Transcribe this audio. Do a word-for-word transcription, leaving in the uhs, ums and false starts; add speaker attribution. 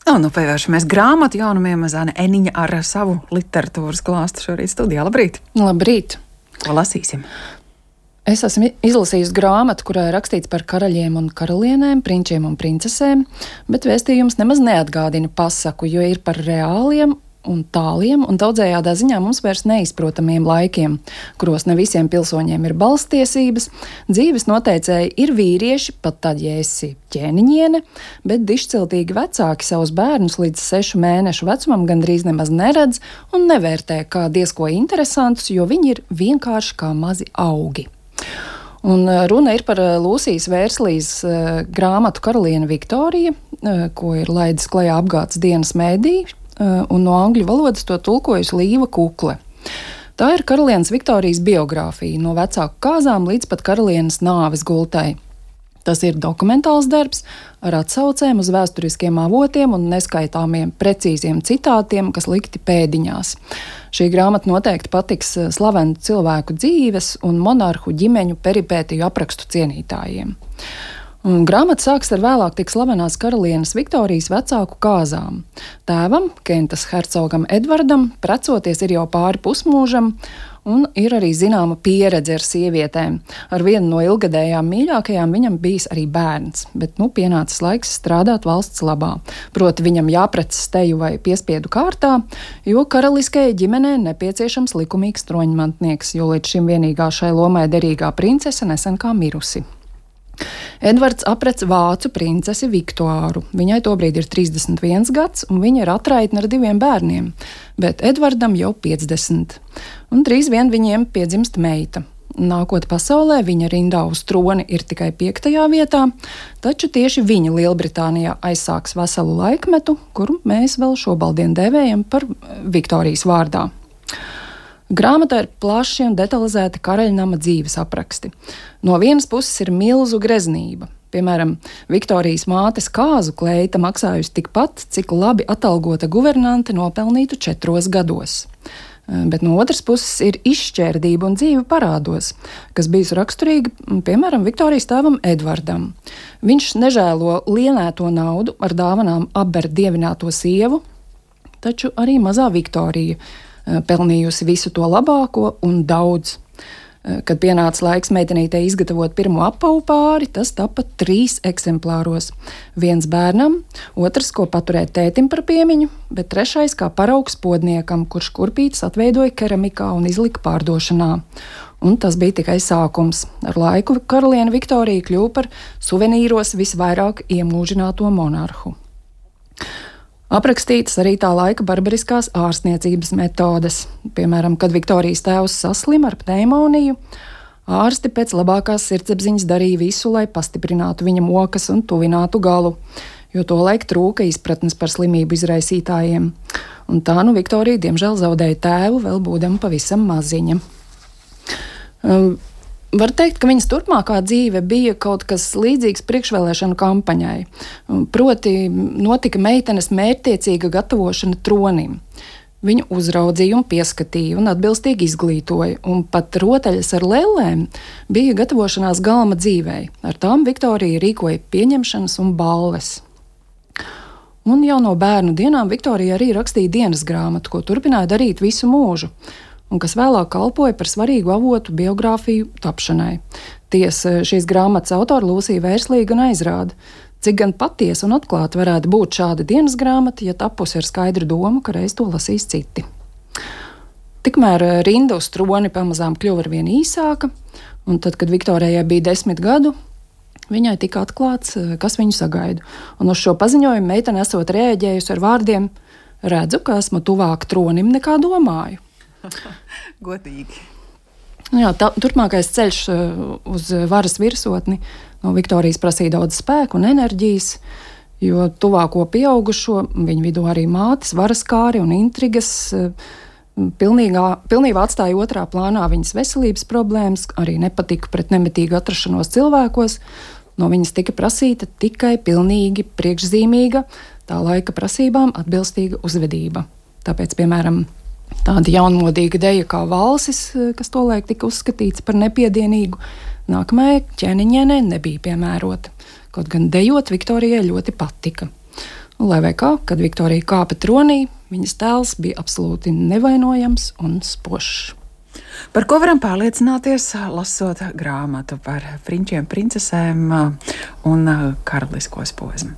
Speaker 1: Un, nu, pievēršamies grāmatu jaunumiem. Zane Eniņa ar savu literatūras klāstu šorīt studijā. Labrīt!
Speaker 2: Labrīt!
Speaker 1: Ko lasīsim?
Speaker 2: Es esmu izlasījusi grāmatu, kurā ir rakstīts par karaļiem un karalienēm, prinčiem un princesēm, bet vēstījums nemaz neatgādina pasaku, jo ir par reāliem un tāliem un daudzējādā ziņā mums vairs neizprotamiem laikiem, kuros ne visiem pilsoņiem ir balstiesības. Dzīves noteicēji ir vīrieši, pat tad, ja esi ķēniņiene, bet dišciltīgi vecāki savus bērnus līdz sešu mēnešu vecumam gandrīz nemaz neredz un nevērtē kā diezko interesantus, jo viņi ir vienkārši kā mazi augi. Un runa ir par Lūsijas Vērslīs grāmatu Karaliene Viktorija, ko ir laidis klajā Apgādes dienas mēdī, un no angļu valodas to tulkojusi Līva Kukle. Tā ir karalienes Viktorijas biogrāfija no vecāku kāzām līdz pat karalienes nāves gultai. Tas ir dokumentāls darbs ar atsaucēm uz vēsturiskiem avotiem un neskaitāmiem precīziem citātiem, kas likti pēdiņās. Šī grāmata noteikti patiks slavenu cilvēku dzīves un monarhu ģimeņu peripētiju aprakstu cienītājiem. Un grāmata sāks ar vēlāk tik slavenās karalienes Viktorijas vecāku kāzām. Tēvam, Kentas hercogam Edvardam, precoties ir jau pāri pusmūžam, un ir arī zināma pieredze ar sievietēm. Ar vienu no ilgadējām mīļākajām viņam bijis arī bērns, bet nu pienācis laiks strādāt valsts labā. Proti viņam jāprecas teju vai piespiedu kārtā, jo karaliskajai ģimenei nepieciešams likumīgs troņmantnieks, jo līdz šim vienīgā šai lomai derīgā princese nesen kā mirusi. Edvards aprec vācu princesi Viktoāru. Viņai tobrīd ir trīsdesmit viens gads, un viņa ir atraitne ar diviem bērniem, bet Edvardam jau piecdesmit. Un drīz vien viņiem piedzimst meita. Nākot pasaulē, viņa rindā uz troni ir tikai piektajā vietā, taču tieši viņa Lielbritānijā aizsāks veselu laikmetu, kuru mēs vēl šobaldien dēvējam par Viktorijas vārdā. Grāmatā ir plaši un detalizēti karaļnama dzīves apraksti. No vienas puses ir milzu greznība. Piemēram, Viktorijas mātes kāzu kleita maksājusi tikpat, cik labi atalgota guvernante nopelnītu četros gados. Bet no otras puses ir izšķērdība un dzīve parādos, kas bijusi raksturīga, piemēram, Viktorijas tēvam Edvardam. Viņš nežēlo lienēto naudu ar dāvanām apber dievināto sievu, taču arī mazā Viktorija pelnījusi visu to labāko un daudz. Kad pienāca laiks meitenītei izgatavot pirmo apavu pāri, tas tapa trīs eksemplāros. Viens bērnam, otrs, ko paturēt tētim par piemiņu, bet trešais kā paraugs podniekam, kurš kurpītes atveidoja keramikā un izlika pārdošanā. Un tas bija tikai sākums. Ar laiku karaliene Viktorija kļuva par suvenīros visvairāk iemūžināto monarhu. Aprakstītas arī tā laika barbariskās ārstniecības metodes. Piemēram, kad Viktorijas tēvs saslima ar pneimoniju, ārsti pēc labākās sirdsapziņas darīja visu, lai pastiprinātu viņa mokas un tuvinātu galu, jo tolaik trūka izpratnes par slimību izraisītājiem. Un tā nu Viktorija diemžēl zaudēja tēvu, vēl būdama pavisam maziņa. Um, Var teikt, ka viņas turpmākā dzīve bija kaut kas līdzīgs priekšvēlēšanu kampaņai. Proti, notika meitenes mērķtiecīga gatavošana tronim. Viņu uzraudzīja un pieskatīja un atbilstīgi izglītoja, un pat rotaļas ar lellēm bija gatavošanās galma dzīvei. Ar tām Viktorija rīkoja pieņemšanas un balles. Un jau no bērnu dienām Viktorija arī rakstīja dienas grāmatu, ko turpināja darīt visu mūžu, un kas vēlāk kalpoja par svarīgu avotu biogrāfiju tapšanai. Tiesa, šīs grāmatas autora Lūsija Vērslīga gan aizrāda, cik gan patiesa un atklāta varētu būt šāda dienas grāmata, ja tapusi ar skaidru domu, ka reiz to lasīs citi. Tikmēr rinda uz troni pamazām kļuva arvien īsāka, un tad, kad Viktorijai bija desmit gadu, viņai tika atklāts, kas viņu sagaida. Un uz šo paziņojumu meitene esot reaģējusi ar vārdiem: redzu, ka esmu tuvāk tronim nekā domāju.
Speaker 1: Godīgi.
Speaker 2: Jā, tā, turpmākais ceļš uz varas virsotni no Viktorijas prasīja daudz spēku un enerģijas, jo tuvāko pieaugušo, viņu vidū arī mātes, varaskāri un intrigas, pilnīgā, pilnībā atstāja otrā plānā viņas veselības problēmas, arī nepatika pret nemitīgu atrašanos cilvēkos. No viņas tika prasīta tikai pilnīgi priekšzīmīga, tā laika prasībām atbilstīga uzvedība. Tāpēc, piemēram, tāda jaunmodīga deja kā valsis, kas tolaik tika uzskatīts par nepiedienīgu, nākamajai ķēniņienei nebija piemērota. Kaut gan dejot Viktorijai ļoti patika. Lai vai kā, kad Viktorija kāpa tronī, viņas tēls bija absolūti nevainojams un spožs.
Speaker 1: Par ko varam pārliecināties, lasot grāmatu par prinčiem, princesēm un karalisko posmu?